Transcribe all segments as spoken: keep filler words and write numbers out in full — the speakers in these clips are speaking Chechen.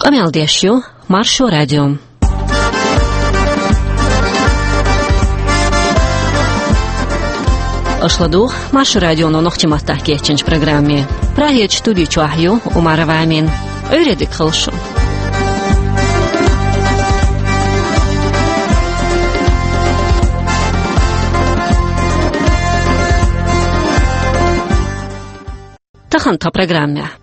Къамел деш ю Маршо радио. Аша ладугӀу Маршо радионо нохчийн маттахь кечйинчу программе. Прагерчу студи чохь ю Умарова Амина. Ӏуьйре дика хуьлда шун. Тахана тхан программехь.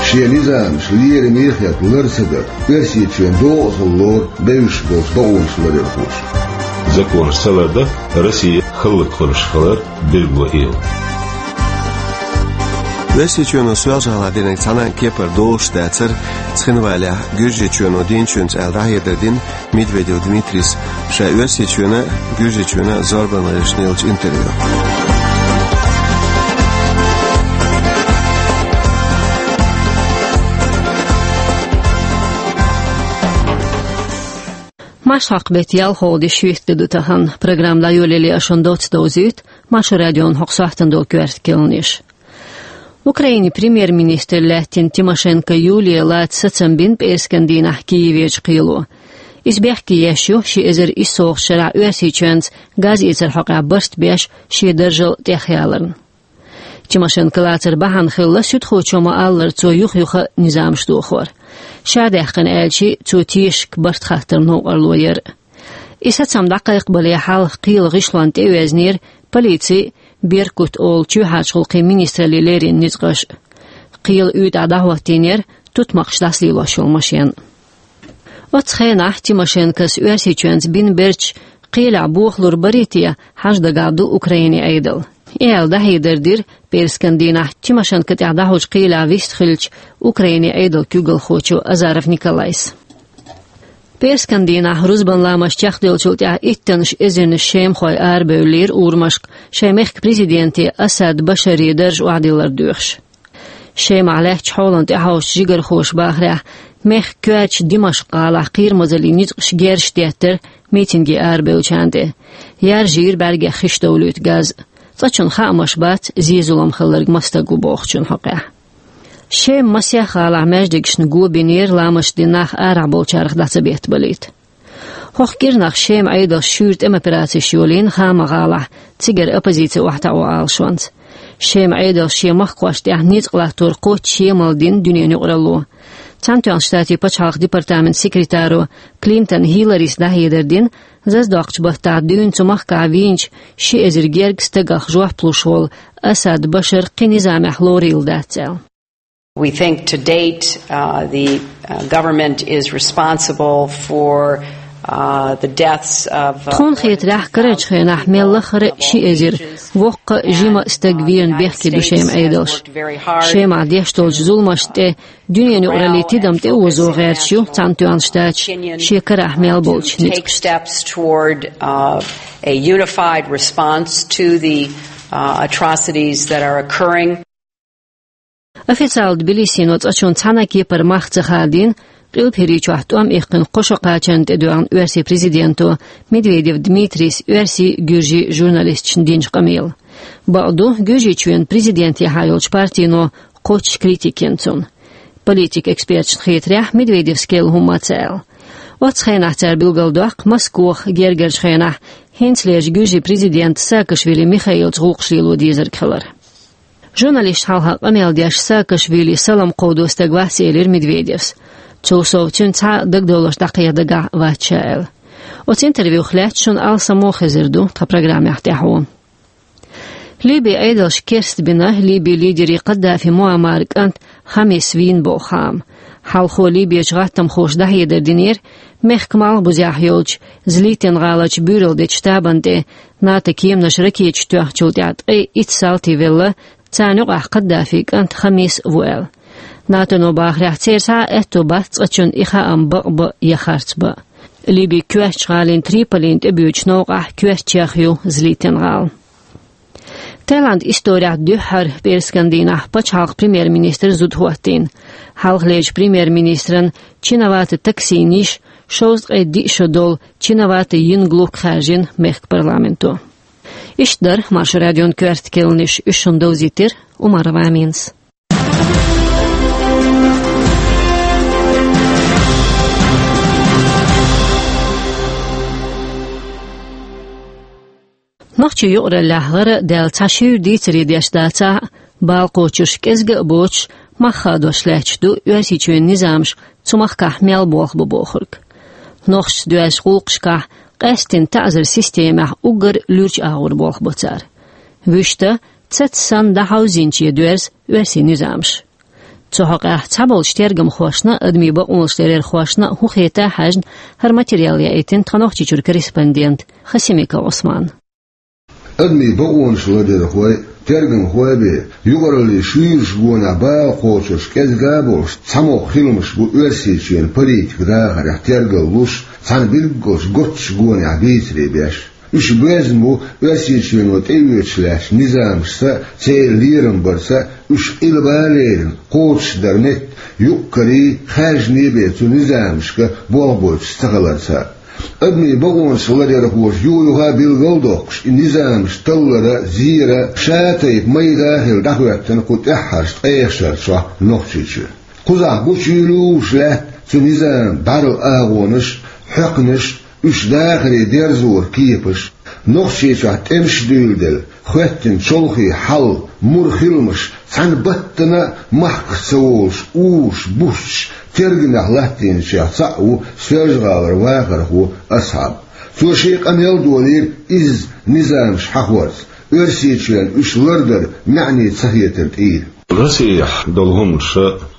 Шен низамаш лераме а хетта лар ца дар, Оьрсийчоьнан догӀа хила лору бевзаш болчу бакъонаш ларъярхоша. Законаш ца лардан Россия хӀаллакьхуьлуш хилар билгало йилла. Оьрсийчоьно Соьлжа-ГӀалахь динарг цхьана а кепара долуш дацара, цхинвалехь Гуьржийчоьно дийначуьнца аьлла дӀахьедар дина Медведев Дмитрийс, ша Оьрсийчоьнан а, Гуьржийчоьнан а зорбанан гӀирсашна еллачу интервью. Маршхьокху беттан ялхолгӀа де шийтта де ду тахана. Программа дӀайолале аш шун доцца довзуьйту Маршо радион хӀокху сохьтана долу коьрта керланаш. Украинин премьер-министр лаьттина Тимошенко Юлия лаца сацам бина пӀераскан дийнахь Киеверчу кхело. Иза бехке еш ю ши эзар иссалгӀачу шарахь Оьрсийчоьнца газ эцаран хьокъехь барт беш шен даржал тӀехъяларна. Тимошенко лацар бахьана хилла, суьдхочо ма-аллара, цо юха-юха а низамаш дохор. Ша даьккхина аьлча, цо тешашка барт хаттар новкъарло яра. И сацам дӀакхайкхабале хьалха кхелан гӀишлонна тӀеоьзнера полицин «Беркут» олу чоьхьарчу гӀуллакхийн министраллин леррина ницкъаш. Кхелан уьйтӀахь дӀахӀоттийнера тутмакхаш дӀасалелош йолу машен. Оццу хенахь Тимошенкос Оьрсийчоьнца бина бердаш кхелехь бохалур барий те хьажа дагахь ду Украинин Ӏедал. И аьлла дӀахьедар дира пӀераскан дийнахь Тимошенко тӀехь дӀахьочу кхелехь вистхиллачу Украинин Ӏедалан куьйгалхочо Азаров Николайс. ПӀераскан дийнахь рузбан ламаз чекхделлачул тӀаьхьа иттаннаш эзарнаш шемахой арабевллера урамашка, шайн мехкан президенте Асад Башаре дарж охьадиллар доьхуш. Шемахь лаьттачу хьолана тӀехьовсучу жигархоша бахарехь, мехкан коьртачу Димашкъ-гӀалахь кхерамазаллин ницкъаша герзаш деттара митинге арабевллачарна тӀе. Яржийра бӀаьргех хиш довлуьйту газ. Цкъачунна хаамаш бац, зен-зулам хилларг маса стаг ву бохучун хьокъехь. Шеман масех гӀалахь маьждигашна го бинера, ламаз дина нах арахь болчарах дӀа ца беттабалийта. ХӀокху кӀирнах Шеман Ӏедалша шуьйра тӀеман операцеш йолийна Хама-гӀалахь, цигара оппозици охьатаӀо Ӏалашонца. Шеман Ӏедалша шен махкахошна тӀехь ницкъ латтор кхоччуш емал дина дуьненан юкъаралло. Цхьаьнатоьхначу Штатийн пачхьалкхан департаментан секретаро Клинтон Хилларис дӀахьедар дина, зазадоккхучу баттахь дуьйна цу махкахь вийначу ши эзар гергга стагах жоп луш волу Асад Башар кхин низамехь лорийла дац аьлла. We think to date, uh, the, uh, government is responsible for, uh, the deaths of, uh, Тхуна хетарехь, карарчу хенахь мел лахара ши эзар воккха а, жима а стаг верна бехке ду Шеман Ӏедалша. Шемахь деш долчу зуламашна тӀе дуьненан юкъараллин тидам тӀеозо гӀерташ ю Цхьаьнатоьхна Штаташ шен карахь мел болчу ницкъашца. Take steps toward, uh, a unified response to the, uh, atrocities that are occurring. Официалан Тбилисино цкъачунна цхьана а кепара мах ца хадийна, Къилбаседа чохь тӀом иккхина кхо шо кхачарна тӀедоьгӀна оьрсийн президенто Медведев Дмитрийс оьрсийн, гуьржийн журналисташна динчу къамелан. Бакъду, Гуьржийчоьнан президентехьа йолчу партино кхоччуш критика йина цунна. Политикан эксперташна хетарехь, Медведевс керла хӀумма а ца аьлла. Оццу хенахь цара билгалдоккху, Москох гергарчу хенахь хӀинцалерчу гуьржийн президента Саакашвили Михаилца гӀуллакхаш лело дезарг хилар. Журналисташна хьалха къамел деш, Саакашвили салам кховдо стаг вац, элира Медведевс. Цул сов, цуьнан цхьа а дагадовларш дӀакхехьа дагахь вац ша аьлла. Оцу интервьюх лаьцна шуна алсамо хезар ду тхан программехь тӀаьхьо. Ливин Ӏедалша керстбина Ливин лидеран Каддафи Муаммаран кӀант Хамис вийна боху хаам. Хьалхо Ливерчу гӀаттамхоша дӀахьедар динера, мехкан малхбузехь йолчу Злитин-гӀаларчу буьйралла дечу штабана тӀе НАТО-н кеманаша ракеташ тоьхначул тӀаьхьа ткъе итт салти велла, царна юкъахь Каддафин кӀант Хамис а ву аьлла. НАТОно бахарехь, церан цхьа а аьтто бац цкъачунна и хаам бакъ бан я харц бан. Ливин коьртачу гӀалин Триполина тӀебоьдучу новкъахь коьртачех ю Злитин-гӀала. Таиландан исторехь дуьххьара пӀераскан дийнахь пачхьалкхан премьер-министр зуда хӀоттийна. Хьалхалерчу премьер-министран Чинавата Таксинан йиша шовзткъе диъ шо долу Чинавата Йинглук хаьржина мехкан парламенто. Иштта дара Маршо радион коьрта керланаш, уьш шуна довзийтира Умарова Аминас. Нохчийн юкъараллехь гӀара а даьлла цхьа шуьйра дийцаре деш дацахь а, бала кхочуш кӀезига а боцуш, мах хадош лаьтташ ду Оьрсийчоьнан низамаш цу махкахь мел болх бу бохург. Нохчашца доьзначу гӀуллакхашкахь, къаьсттина таӀзаран системехь уггар луьрачу агӀор болх бо цара. Вуьшта, цаца санна дӀахьовзийначу доьрзу оьрсийн низамаш. Цу хьокъехь цхьаболчу тергамхошна а, адамийн бакъонаш ларъярхошна а хӀун хета а хьаьжна, хӀара материал яийтина тхан Нохчийчуьра корреспондента Хасимиков Ӏусмана. Адамийн бакъонаш ларъярхой а, тергамхой а бен, юкъараллин шуьйрачу гонехь бала кхочурш кӀезиг а болуш, цхьа могӀа хиламаш бу Оьрсийчоьнан политикан дахарехь тергаллуш, цхьана билггал готтучу гонехь бийцаре беш. Уьш боьзна бу Оьрсийчоьно тӀеоьцуш лаьттачу низамашца а, церан лерам барца а, уьш къилба а лерина, кхочушдар метта, юкъ-карий, хаьржиний бен цу низамашка болх бойтуш цахиларца а. Адамийн бакъонаш ларъярхоша юха-юха а билгал а доккхуш, и низамаш таллара а, зера а ша тайпа майда а хилла дӀахӀоьттина кху тӀаьххьарчу ткъех шарчохь Нохчийчоь. Кхузахь гучуйуьйлуш лаьтта цу низаман бӀаьрла агӀонаш а, хьоькхнаш а, уьш дахаре дерзоран кепаш а. Нохчийчохь тӀемаш а дуьйладелла, хоьттина чолхе хьал, мур хиламаш, цхьана баттана а махках ца волуш, уьш бусташ, тергамехь латтийначех цхьаъ ву Соьлжа-ГӀалара вахархо Асхьаб. Цо шен къамел а долийра изза низамаш хьахорца, Оьрсийчоьнна уьш лардар маьӀне ца хетар тӀера. Россехь долу хӀуманаш,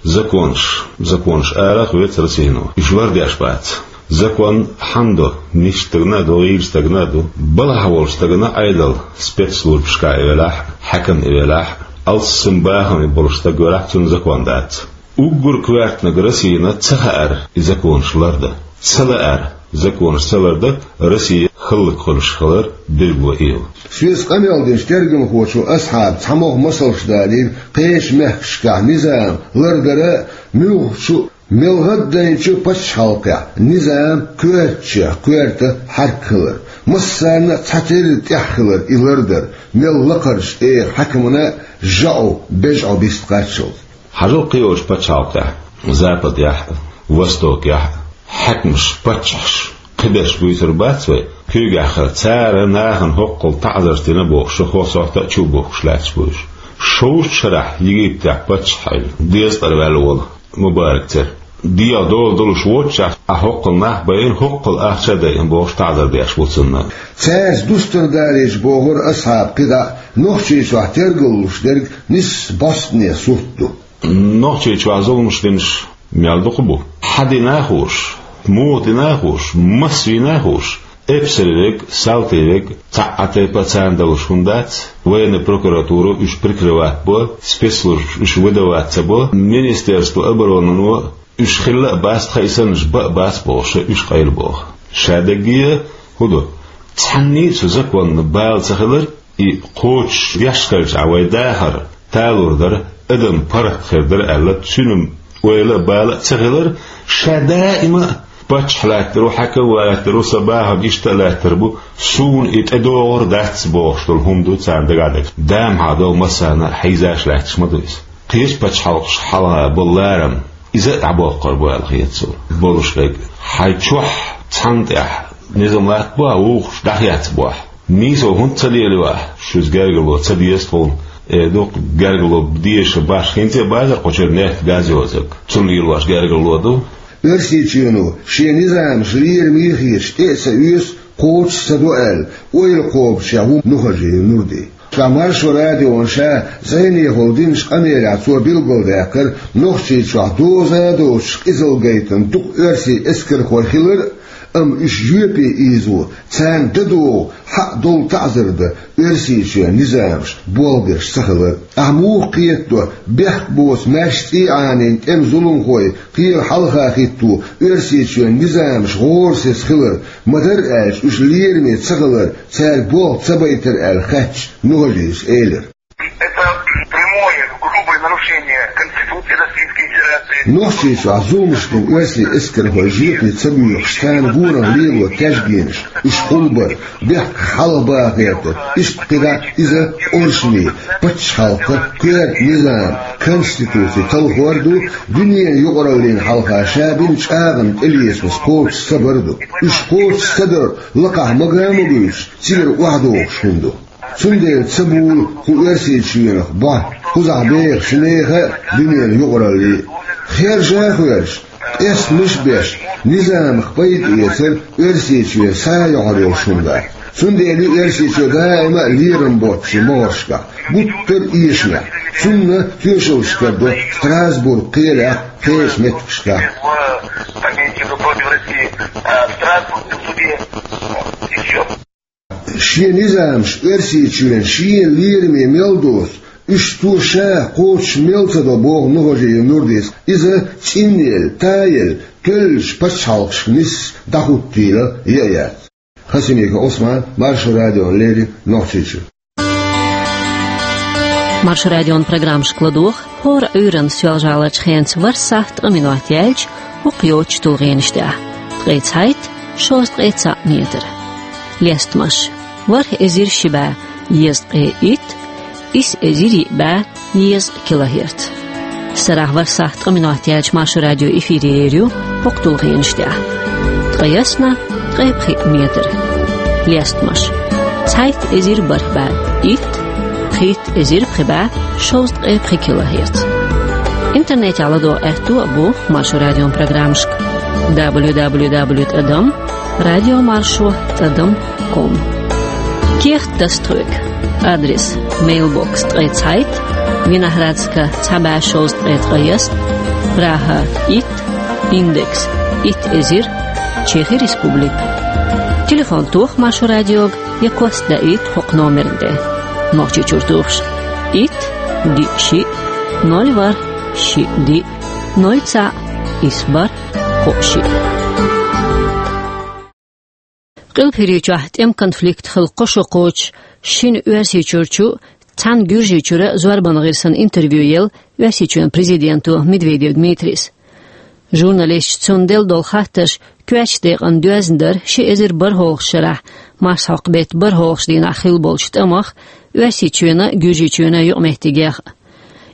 законаш, законаш арахь а веца Россино, уьш лардеш бац. Закон хьанна ду? Нисса стагана а ду, гӀийла стагана а ду. Балхахь волчу стагана Ӏедал, спецслужбашкахь и велахь а, хьаькам и велахь а, алссам бахаме болуш стаг велахь а, цунна закон дац. Уггар коьртаниг Россина ца хаьара и законаш лардан. Ца лаьара законаш ца лардан Россия хӀаллакьхуьлуш хилар билгало йолу. Соьца къамел динчу тергамхочо Асхьаба цхьа могӀа масалш далийра кхечу мехкашкахь низам лардара а, муьлххачу а, мел гӀаддайначу а пачхьалкхехь низам коьртачех коьрта хьаьрк хилар, массарна а цхьатерра тӀехь хилар и лардар, мел лакхарчу тӀера хьаькамна а жаӀу, бежӀу бист кхаччалц. Хьажал кхечу пачхьалкхехь, Западехь а, Востокехь а, хьаькамаш, паччахьаш кхиберш буьйцур бац вай, куьйгахь хилла, цара нахана хӀоккхул таӀзарш дина бохуш, шо хӀокху сохьта а чу а бухкуш лаьтташ бу уьш. Шовзткъа шарахь Египтехь паччахь хилла, дезткъара ваьлла волу Мубарак церан. ДегӀан дола долуш воццушехь, ахь хӀоккхул нах а байина, хӀоккхул ахча а дайина бохуш таӀзар деш ву цунна. Цаьрца дустар далийча, бохура Асхьаба, кхидӀа а Нохчийчохь тергаллуш дерг нисса бӀостанехьа сурт ду. Нохчийчохь зуламаш динарш мел дукха бу. Хьан дина а хууш, муха дина а хууш, маса вийна а хууш, эпсар верг, салти верг, цхьа а тайпа а царна далуш хӀума дац, военная прокуратура уьш прикрывать бо, спецслужбаш уьш выдавать ца бо, министерство обороны но уьш хилла а бац, тхан и саннарш бан а бац бохуш, уьш къайлабоху. Ша даггара а хӀун ду? Цхьанний а цу законна бала ца хилар, и кхочуш деш хилча а вай дахар талур дара, адам паргӀат хир дара аьлла, цуьнан ойла а, бала а ца хилар, ша даима а паччахь лаьттар ву, хьаькам лаьттар ву, сан бахам иштта а лаьттар бу, суна и тӀедогӀур дац бохуш долу хӀума ду царна дагахь дерг. Дамхьа долу массарна а хьийзаш лаьтташ ма ду иза. Кхечу пачхьалкхашна хьалха болу ларам, иза а дӀабоккхур бу аьлла хета суна. Болуш верг, хьайн чохь цхьанна тӀехь низам латтабо ахь, вукхуш дӀахецбо ахь. Нийсо хӀунда ца лелайо ахь, шуьца гергарло ца деза тхуна, э, ду-кх гергарло дезаш баш, хӀинца а базар кху чуьра нефть, газ йоцург, цунна лелош гергарло ду. Оьрсийчоьно шен низамаш лераме хеташ тӀе а ца оьцу, кхочуш а ца до аьлла, ойла кхобучехь ву Нухажиев Нурди. Ткъа Маршо радиона ша зӀенехула динчу къамелехь цо билгалдаьккхира, Нохчийчохь доза а доцуш къизалла гайтина дукха оьрсийн эскархой хилар а, амма уьш жоьпе ийзо, царна дан догӀу, хьакъ долу таӀзар дан Оьрсийчоьнан низамаш болх беш ца хилар а. Ахь муха кхетадо, бехк боцу маьрша цӀий Ӏанийна тӀеман зуламхой кхелан хьалха хӀитто Оьрсийчоьнан низамаш гӀорасиз хилар, ма-дарра аьлча уьш лераме ца хилар, цаьрга болх ца байтар аьлла хаьттича, Нухажиевс элира. Прямое, грубое нарушение Конституции Российской Федерации. Нохчийчохь зуламаш ду оьрсийн эскархой, жепе ца буьйхуш, царна гонах лело тешгенаш, уьш хулбар, бехк хьалхабаха гӀерта, иштта кхидӀа иза оршамий, пачхьалкхан коьрта низам, конституци талхор ду, дуьненан юкъараллина хьалха ша бина чӀагӀам тӀелесамаш кхочуш ца бар ду. Уьш кхочуш ца дар лакхахь мага а ма буьйцуш, цигара охьадогӀуш хӀума ду. Цундела ца буьллу кху Оьрсийчоьнах бохь, кхузахь беха ши нехан а, дуьненан юкъараллин а. Хержа а хоьржаш, къестамаш а беш, низамах пайда эцар Оьрсийчоьнан схьа а йохьур йолуш хӀума дац. Цундела ю Оьрсийчоь даима а лерам боццу могӀаршкахь, гуттар а эшамехь. Цунна тоьшаллаш карадо Страсбург кхелехь, кхечу меттигашкахь. По Минским против России, а, в Страсбургском суде. И всё. Шен низамаш Оьрсийчоьнан шен лераме мел доцу, уьш цо ша кхочуш мел ца до, боху Нухажиев Нурдис. Иза цӀинъелла, таелла, тоьллачу пачхьалкхашка нисса дӀахӀуттийла яа яц. Хасимиков Ӏусман, Маршо радиона леррина, Нохчийчуьра. Маршо радион программашка ладогӀа хӀора Ӏуьйранна Соьлжа-ГӀаларчу хенца ворхӀ сахьт ткъа минот яьлча, хӀокху йоцучу тулгӀенаш тӀехь: ткъе цхьайтта, шовзткъе цхьаъ метр. Лестамаш: ворхӀ эзар ши бӀе дезткъе итт, исс эзар йиъ бӀе дезткъа килогерц. Сарахь ворхӀ сахьт ткъа минот яьлча Маршо радио эфире ер ю хӀокху тулгӀенаш тӀехь: ткъе ялх, ткъе пхиъ метр. Лестамаш: цхьайтта эзар бархӀ бӀе итт, пхийтта эзар пхи бӀе шовзткъе пхи килогерц. Интернетехь ладогӀа аьтто а бу Маршо радион программашка: дабл ю дабл ю дабл ю тӀадам радиомаршо тӀадам ком. Кехат таса тхоьга. Адрес: мейлбокс ткъе цхьайтта, Виноградска цхьа бӀе шовзткъе ткъайесна, Прага итт, индекс итт эзар, Чехи Республика. Телефон тоха Маршо радиога я кост даийта хӀокху номерна тӀе. Нохчийчуьра тухуш: итт, диъ, шиъ, ноль, ворхӀ, шиъ, диъ, ноль, цхьаъ, исс, бархӀ, кхоъ, шиъ. Къилбаседа чохь тӀеман конфликт хилла кхо шо кхочуш, шина Оьрсийчуьрчу, цхьана Гуьржийчуьра зорбанан гӀирсана интервью елла Оьрсийчоьнан президенто Медведев Дмитрийс. Журналисташа цунна делла долу хаттарш коьртачу декъана доьзна дара ши эзар бархӀалгӀачу шарахь марсхьокху беттан бархӀалгӀачу дийнахь хилла болчу тӀамах, Оьрсийчоьнан а, Гуьржийчоьнан а юкъаметтигех а.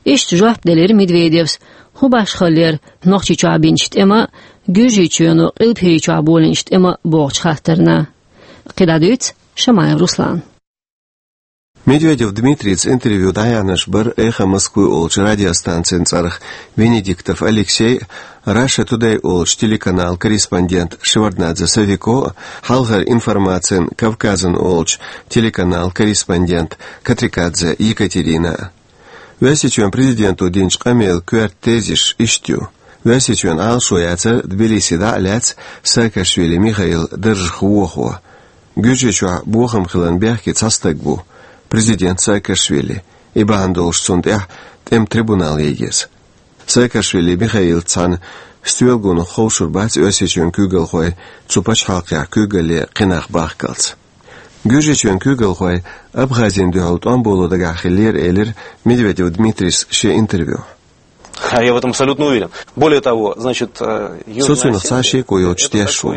Иштта жоп делира Медведевс, хӀун башхалла яра Нохчийчохь бинчу тӀеман а, Гуьржийчоьно Къилбаседа чохь болийначу тӀеман а бохучу хаттарна. КхидӀа дуьйцу Шамаев Руслана. Медведев Дмитрийца интервью дӀаяьхьнарш бара «Эхо Москвы» олучу радиостанцин цӀарах Венедиктов Алексей а, Russia Today олучу телеканалан корреспондент Шеварднадзе Сафико а, хьалхара информацин «Кавказан» олучу телеканалан корреспондент Катрикадзе Екатерина а. Оьрсийчоьнан президенто динчу къамелан коьрта тезис иштта ю: Оьрсийчоьнан Ӏалашо яцара Тбилиси дӀа а лаьцна Саакашвили Михаил даржах вохо. Гуьржийчохь бохам хиларна бехке цхьа стаг ву, президент Саакашвили, и бахьана долуш цунна тӀехь тӀеман трибунал ян еза. Саакашвили Михаилца цхьаьна стоьлгонах ховшур бац Оьрсийчоьнан куьйгалхой цу пачхьалкхехь куьйгалле кхин нах бахкалц. Гуьржийчоьнан куьйгалхой Абхазина дуьхьал тӀом боло дагахь хиллера, элира Медведев Дмитрийс шен интервьюхь. А я в этом абсолютно уверен. Более того, значит, э, её... Со цунах цхьа шеко йоцуш тешаш ву.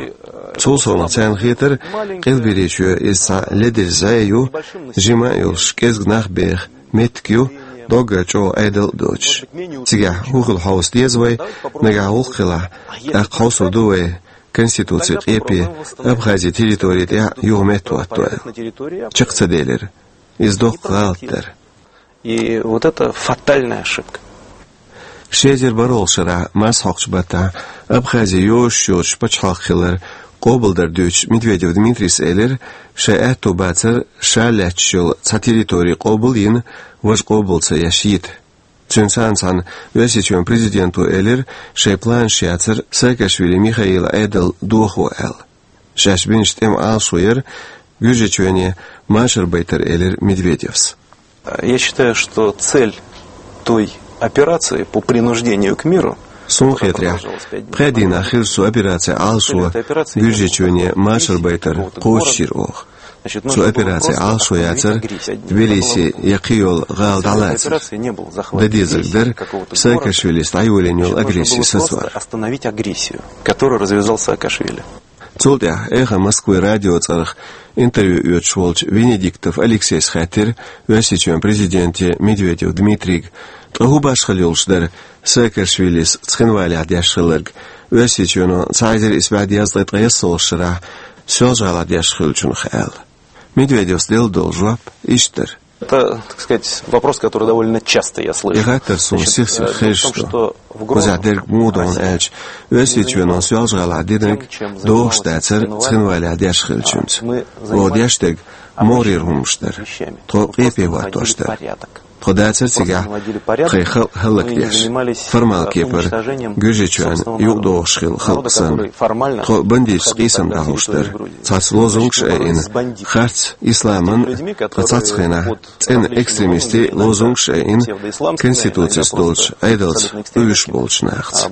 Цул совнаха царна хетара, Къилбаседа чоь иза цхьа ледара зӀе ю, жима а йолуш, кӀезиг нах беха меттиг ю, доггах чӀогӀа Ӏедал а доцуш. Цигахь хӀун хила хьовса деза вай, нагахь гӀуллакх хилахь, тӀаккха хьовсур ду вай конституцин къепе Абхазин территори тӀехь юха меттахӀотто аьлла. Чекх ца делира. Иза доккха гӀалат дара. И вот это фатальная ошибка. Ши эзар бархӀалгӀачу шарахь марсхьокхучу баттахь Абхази йозуш йоцуш пачхьалкх хилар къобалдар дуьйцуш, Медведев Дмитрийс элира, шайн аьтто бацара ша лаьтташ йолу цхьа территори къобал а йина, важа къобал ца еш йита. Цуьнца цхьаьна Оьрсийчоьнан президенто элира, шайн планаш яцара Саакашвили Михаилан Ӏедал дохо аьлла. Шаьш бинчу тӀеман Ӏалашо яра Гуьржийчоьне машар байтар, элира Медведевс. Я считаю, что цель той операции по принуждению к миру... Суна хетарехь, пхеа дийнахь хиллачу цу операцин Ӏалашо Гуьржийчоьне машар байтар кхочушйира оха. Цу операци Ӏалашо яцар Тбилиси я кхы йола гӀала дӀалацар. Дан дезарг дар Саакашвилис дӀайолийна йола агрессия сацор. Остановить агрессию, которую развязал Саакашвили. Цул тӀаьхьа «Эхо Москвы» радио цӀарах интервью оьцуш волчу Венедиктов Алексейс хаьттира Оьрсийчоьнан президенте Медведев Дмитрийга, ткъа хӀун башхалла йолуш дара Саакашвилис Цхинвалехь деш хилларг, Оьрсийчоьно цхьа эзар исс бӀе дезткъе ткъайоьсналгӀачу шарахь Соьлжа-ГӀалахь деш хиллачунах аьлла. Медведевс делла долу жоп иштта дара. Это, так сказать, вопрос, который довольно часто я слышу. И хаттар суна сих-сиха хезаш ду. Кхузахь дерг муха ду аьлча, Оьрсийчоьно Соьлжа-ГӀалахь динарг догӀуш дацара Цхинвалехь деш хиллачуьнца. Оха деш дерг могӀарера хӀуманаш дара. Тхо къепе хӀоттош дара. Тхо дацара цигахь тхайн халкъ хӀаллакдеш, формал кепара Гуьржийчоьнна юкъадогӀуш хилла халкъ санна. Тхо бандиташца къийсам дӀахьош дара. Цхьацца лозунгаш а айина, харц исламан, ткъа цхьацца хенахь цӀена экстремистийн лозунгаш а айина, конституцис долчу Ӏедалца къуьйсуш болчу нахаца.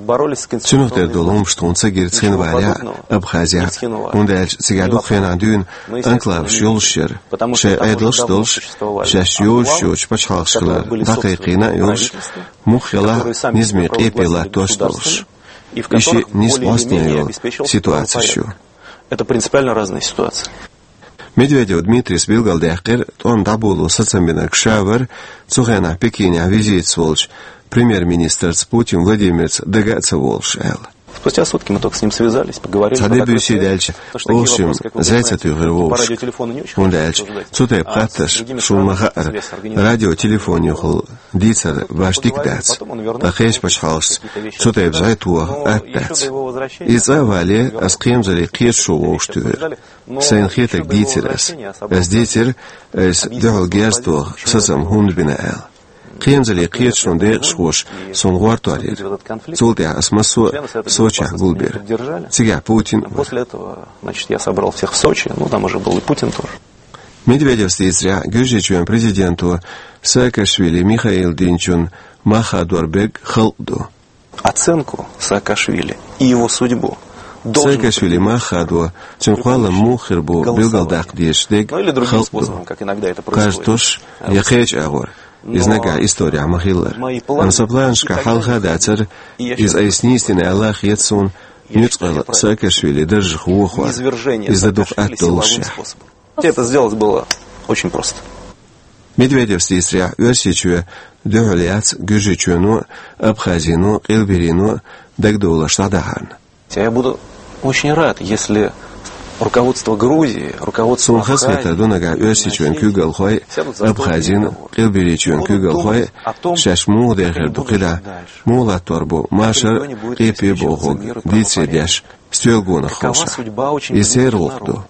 Цунах тера долу хӀуманаш тхуна ца гира Цхинвалехь а, Абхазехь а, хӀунда аьлча цигахь дукха хенахь дуьйна анклаваш йолуш яра, шайн Ӏедалш а долуш, шаьш йозуш йоцчу пачхьалкхашкара дӀакхайкхийна а йолуш, муха хилахь а низаме къепе латтош а долуш. И шиъ нийса бӀостанехьа йолу ситуацеш ю. Это принципиально разные ситуации. Медведев Дмитрийс билгалдаьккхира, тӀом дӀаболо сацам бинарг ша вара, цу хенахь Пекинехь визитаца волчу премьер-министрца Путин Владимирца дага а ца волуш аьлла. Спустя сутки мы только с ним связались, поговорили. Цхьа де-буьйса даьлча, оха шимма зӀе ца туьйхира вовшашка. ХӀунда аьлча цу тайпа хаттарш, шуна ма-хаъара, радиотелефонехула дийцар башха дика дац. Ткъа кхечу пачхьалкхашца цу тайпа зӀе тоха атта дац. Иза цӀа а вале, ас кхерамзаллин кхеташо вовшахтуьйхира. Сайна хетарг дийцира ас. Ас дийцира, айса дуьхьал герз тоха сацам хӀунда бина аьлла. Кхерамзаллин кхеташонан декъашхоша суна гӀортор йира. Цул тӀаьхьа ас массо а Сочехь гулбира. Цигахь Путин а вара. После этого, значит, я собрал всех в Сочи, ну, там уже был и Путин тоже. Медведевс дийцарехь, Гуьржийчоьнан президенто Саакашвили Михаила динчун мах хадор берг халкъ ду. Оценку Саакашвили и его судьбу должен... Саакашвили мах хадо, цуьнан кхоллам муха хир бу билгалдаккха дезаш дерг халкъ ду. Кхаж тосуш я кхечу агӀор, иза нагахь исторехь ма-хиллара. Амма сан планашкахь хьалха а дацара, иза айса нийса дина аьлла а хета суна, нуьцкъала Саакашвили даржах вохор, иза дан дукха атта доллушехь. Это сделать было очень просто. Медведевс дийцарехь, Оьрсийчоь дуьхьал яц Гуьржийчоьно а, Абхазино а, Къилберийно а дагадовларш дӀадахьарна. Я буду очень рад, если руководство Грузии, руководство... Суна хазахетар ду нагахь Оьрсийчоьнан куьйгалхой а, Абхазин а, Къилберийчоьнан куьйгалхой а шаьш муха дехар ду кхидӀа, муха латтор бу машар а, къепе а бохург дийцаре деш, стоьла гонах ховшахь. Иза церан гӀуллакх ду.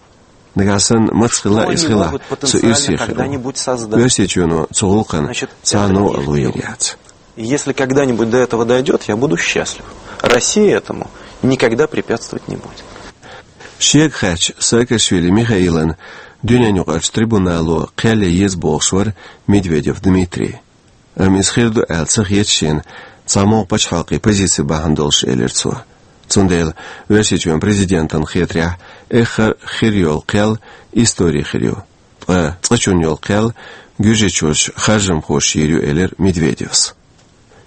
Нагахь санна маца хилла иза хилахь, со ирсе хир ву. Оьрсийчоьно цу гӀуллакхана цхьа а новкъа лур яц. Если когда-нибудь до этого дойдёт, я буду счастлив. Россия этому никогда препятствовать не будет. Шега хаьттича Саакашвили Михаилан дуьненаюкъарчу трибунало кхел ян еза бохуш вара Медведев Дмитрий. Амма иза хир ду аьлла ца хета шена цхьа могӀа пачхьалкхийн позици бахьана долуш, элира цо. Цундела Оьрсийчоьнан президентана хетарехь, эххар а хир йолу кхел истори хир ю. Ткъа цкъачунна йолу кхел гуьржийчуьрчу харжамхоша йийр ю, элира Медведевс.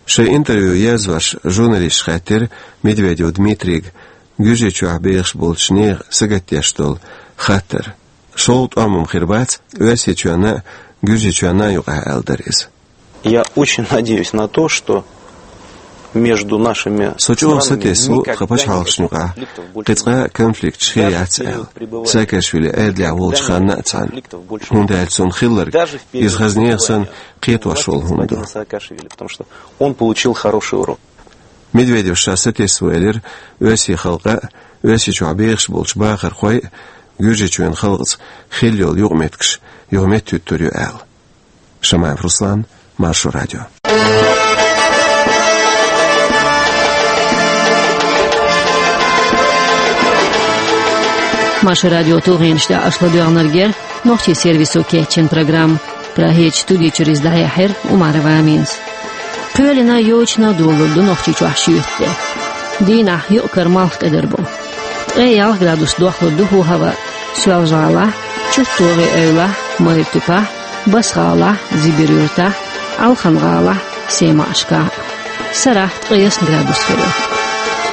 Шайн интервью езавеш журналисташа хаьттира Медведев Дмитрийга Гуьржийчохь бехаш болчу нехан сагатдеш долу хаттар. ШолгӀа тӀом-м хир бац Оьрсийчоьнна а, Гуьржийчоьнна а юкъахь, аьлла дара иза. Я очень надеюсь на то, что между нашими... Со чӀогӀа сатесна ву тхан пачхьалкхашна юкъахь кхин цкъа а конфликташ хир яц аьлла, Саакашвили Ӏедалехь волчу ханна а цхьаьна. ХӀунда аьлча цунна хилларг иза хаза нехан санна кхетош волу хӀума ду. Потому что он получил хороший урок. Медведев ша сатесна ву элира Оьрсийн халкъ а, Оьрсийчохь бехаш болчу бахархой а Гуьржийчоьнан халкъаца хилла йолу юкъаметтигаш юха меттахӀуьттур ю аьлла. Шамаев Руслан, Маршо радио. Маршо радион тулгӀенаш тӀехь аша ладоьгӀнарг яра нохчийн сервисо кечйина программа. Прагерчу студи чуьра иза дӀаяьхьира Умарова Аминас. Кхоьлина, йочана долалур ду Нохчийчохь шуьйта тӀе. Дийнахь юкъ-кара малх кӀадар бу. Ткъе ялх градус дохлур ду хӀаваъ Соьлжа-ГӀалахь, ЧӀутӀогӀи эвлахь, Майртупахь, Басгала, Зибир-Юртахь, Алхан-ГӀала, Сема-Ашка. Сарахь ткъаесна градус хир.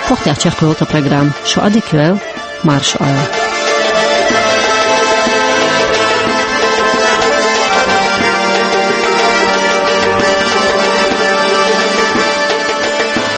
Похтяхча кхоьлта программа. Шу адик вел, марш Ӏа.